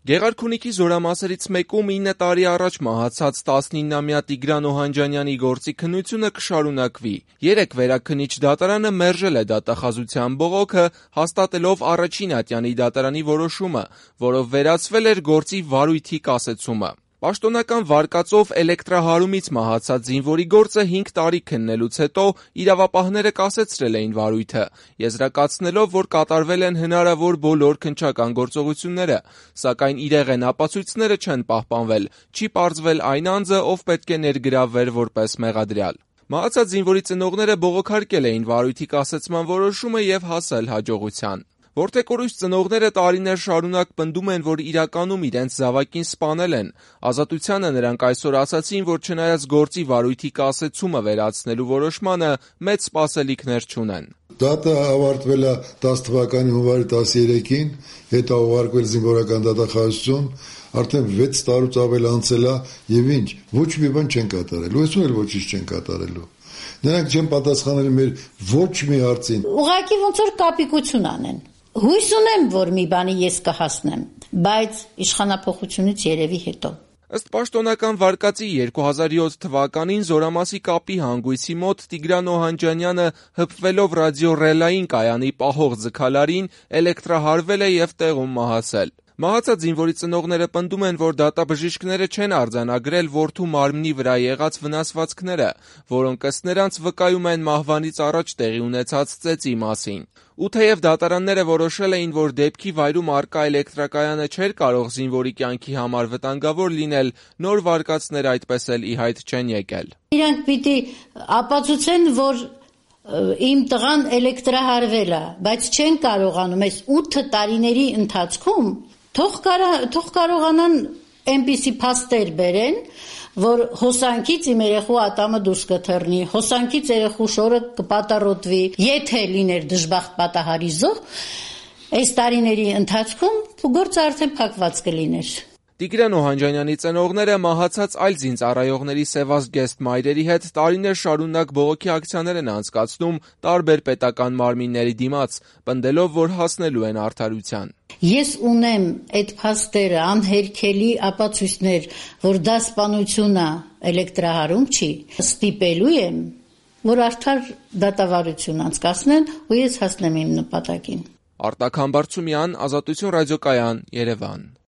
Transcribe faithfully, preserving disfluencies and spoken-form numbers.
Գեղարքունիքի զորամասերից մեկում ինը տարի առաջ մահացած տասնիննամյա Տիգրան Օհանջանյանի գործի քննությունը կշարունակվի։ Երեկ Վերաքննիչ դատարանը մերժել է դատախազության բողոքը, հաստատելով առաջին ատյանի դատարանի որոշումը, որով վերացվել էր գործի վարույթի կասեցումը։ Պաշտոնական վարկածով էլեկտրահարումից մահացած զինվորի գործը հինգ տարի քննելուց հետո իրավապահները կասեցրել էին վարույթը, եզրակացնելով, որ կատարվել են հնարավոր բոլոր քննչական գործողությունները, սակայն իրեղեն ապացույցները չեն պահպանվել, չի պարզվել այն անձը, ով պետք է ներգրավվեր որպես մեղադրյալ։ Մահացած զինվորի ծնողները բողոքարկել էին վարույթի կասեցման որոշումը և հասել հաջողության։ Որդեկորույս ծնողները տարիներ շարունակ պնդում են, որ իրականում իրենց զավակին սպանել են։ Ազատությանը նրանք այսօր ասացին, որ չնայած գործի վարույթի կասեցումը վերացնելու որոշմանը, մեծ սպասելիքներ չունեն։ Դատը ավարտվել է տասը թվականի հունվարի տասներեքին, հետո ուղարկվել զինվորական դատախազություն, արդեն վեց տարուց ավել անցել է եւ ինչ, ոչ մի բան չեն կատարելու, այսօր էլ ոչինչ չեն կատարելու։ Նրանք չեն պատասխանել մեր ոչ մի հարցին։ Ուղղակի ոնց որ կապիկություն անեն։ Հույս ունեմ, որ մի բանի ես կհասնեմ, բայց իշխանափոխությունից երևի հետո։ Ըստ պաշտոնական վարկածի երկու հազար յոթ թվականին Զորամասի կապի հանգույցի մոտ Տիգրան Օհանջանյանը հպվելով ռադիոռելային կայանի պահող ձգալարին էլեկտրահարվել է և տեղում մահացել։ Մահացած զինվորի ծնողները պնդում են, որ դատաբժիշկները չեն արձանագրել որդու մարմնի վրա եղած վնասվածքները, որոնք ըստ նրանց վկայում են մահվանից առաջ տեղի ունեցած ծեծի մասին։ Ու թեև դատարանները որոշել էին, որ դեպքի վայրում առկա էլեկտրակայանը չէր կարող զինվորի կյանքի համար վտանգավոր լինել, նոր վարկածներ այդպես էլ ի հայտ չեն եկել։ Իրանք պիտի ապացուցեն, որ իմ տղան էլեկտրահարվել է, բայց չեն կարողանում այս ութ տարիների ընթացքում թող կարողանան այնպիսի փաստեր բերեն, որ հոսանքից իմ երեխու ատամը դուրս կթռնի, հոսանքից երեխու շորը կպատառոտվի, եթե լիներ դժբախտ պատահարի զոհ, այս տարիների ընթացքում գործը արդեն փակված կլիներ։ Տիգրան Օհանջանյանի ծնողները մահացած այլ զինծառայողների սևազգեստ մայրերի հետ տարիներ շարունակ բողոքի ակցիաներ են անցկացնում տարբեր պետական մարմինների դիմաց, պնդելով, որ հասնելու են արդարության։ Ես ունեմ այդ փաստերը, անհերքելի ապացույցներ, որ դա սպանություն է, էլեկտրահարում չի, ստիպելու եմ, որ արդար դատավարություն անցկացնեն ու ես հասնեմ իմ նպատակին։ Արտակ Համբարձումյան, Ազատություն ռադիոկայան, Երևան։